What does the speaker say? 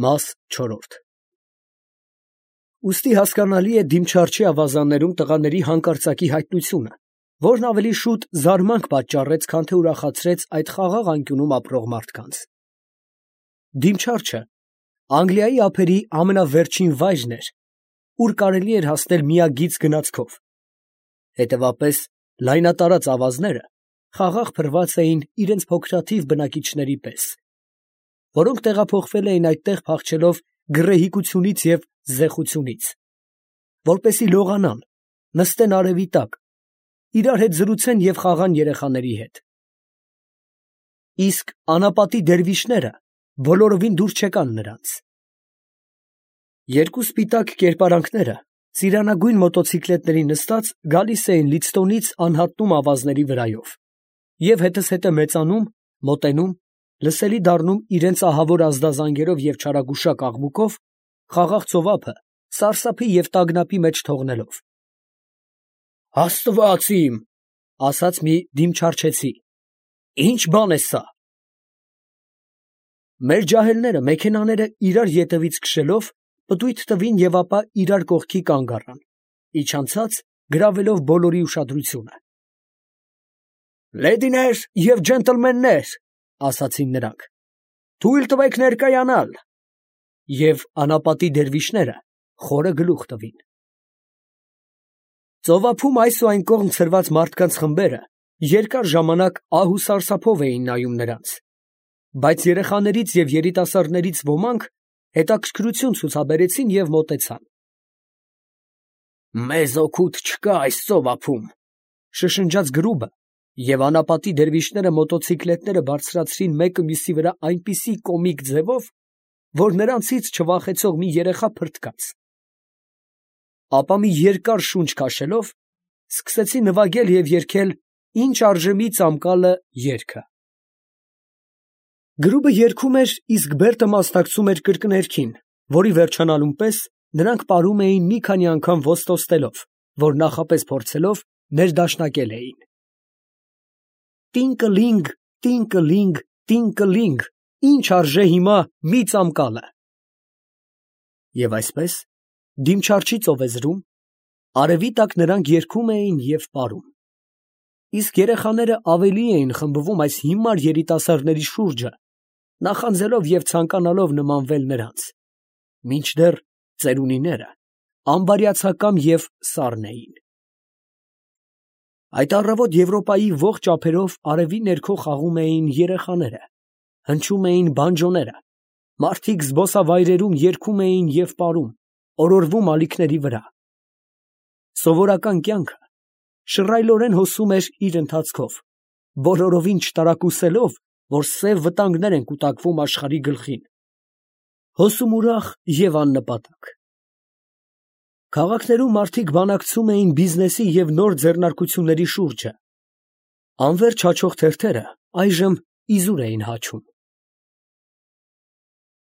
Մաս 4 Ուստի հասկանալի է դիմչարչի ավազաններում տղաների հանկարծակի հայտնությունը, որն ավելի շուտ զարմանք պատճառեց, քան թե ուրախացրեց այդ խաղաղ անկյունում ապրող մարդկանց։ Դիմչարչը Անգլիայի ափերի ամենավերջին վայրն էր, ուր կարելի էր հասնել միագիծ գնացքով։ Հետևապես լայնատարած ավազները խաղաղ փռված էին իրենց փոքրաթիվ բնակիչների պես, որոնք տեղափոխվել էին այդտեղ փախչելով գռեհկությունից և զեխությունից, որպեսզի լողանան, նստեն արևի տակ, իրար հետ զրուցեն և խաղան երեխաների հետ։ Իսկ անապատի դերվիշները բոլորովին դուր չեկան նրանց։ Երկու սպիտակ կերպարանքները ծիրանագույն մոտոցիկլետների նստած գալիս էին Լիդստոնից անհատնում ավազների վրայով և հետզհետե մեծանում, մոտենում, լսելի դառնում իրենց ահավոր ազդազանգերով և չարագուշակ աղմուկով, խաղաղ ծովափը սարսափի և տագնապի մեջ թողնելով։ «Աստված իմ, ֊ ասաց մի դիմչարչեցի, ֊ ի՞նչ բան է սա»։ Մեր ջահելները մեքենաները իրար ետևից քշելով պտույտ տվին և ապա իրար կողքի կանգ առան, իջանցած գրավելով բոլորի ուշադրությունը։ «Լեդիներ և ջենտլմեններ, ֊ ասացին նրանք, ֊ թույլ տվեք ներկայանալ», և անապատի դերվիշները խորը գլուխ տվին։ Ծովափում այս ու այն կողմ ցրված մարդկանց խմբերը երկար ժամանակ ահ ու սարսափով էին նայում նրանց, բայց երեխաներից և երիտասարդներից ոմանք հետաքրքրություն ցուցաբերեցին և մոտեցան։ «Մեզ օգուտ չկա այս ծովափում, ֊ շշնջաց գրուբը, և անապատի դերվիշները մոտոցիկլետները բարձրացրին մեկը մյուսի վրա այնպիսի կոմիկ ձևով, որ նրանցից չվախեցող մի երեխա փրթկաց։ Ապա մի երկար շունչ քաշելով, սկսեցին նվագել և երգել «Ինչ արժե մի ծամկալը» երգը։ Գրուբը երգում էր, իսկ Բերտը մասնակցում էր կրկներգին, որի վերջանալուն պես նրանք պարում էին մի քանի անգամ ոստոստելով, որ նախապես փորձելով ներդաշնակել էին. Տինկլինգ, տինկլինգ, տինկլինգ, ինչ արժե հիմա մի ծամկալը։ Եվ այսպես, դիմչարչի ծովեզրում, արևի տակ նրանք երգում էին և պարում, իսկ երեխաները ավելի էին խմբվում այս հիմար երիտասարդների շուրջը, նախանձելով և ցանկանալով նմանվել նրանց, մինչդեռ ծերունիները անբարյացակամ և սառն էին։ Այդ առավոտ Եվրոպայի ողջ ափերով արևի ներքո խաղում էին երեխաները, հնչում էին բանջոները, մարդիկ զբոսավայրերում երգում էին և պարում, օրորվում ալիքների վրա։ Սովորական կյանքը շռայլորեն հոսում էր իր ընթացքով, բոլորովին չտարակուսելով, որ սև վտանգներ են կուտակվում աշխարհի գլխին, հոսում ուրախ և աննպատակ։ Քաղաքներում մարդիկ բանակցում էին բիզնեսի և նոր ձեռնարկությունների շուրջը, անվերջ հաչող թերթերը այժմ իզուր էին հաչում։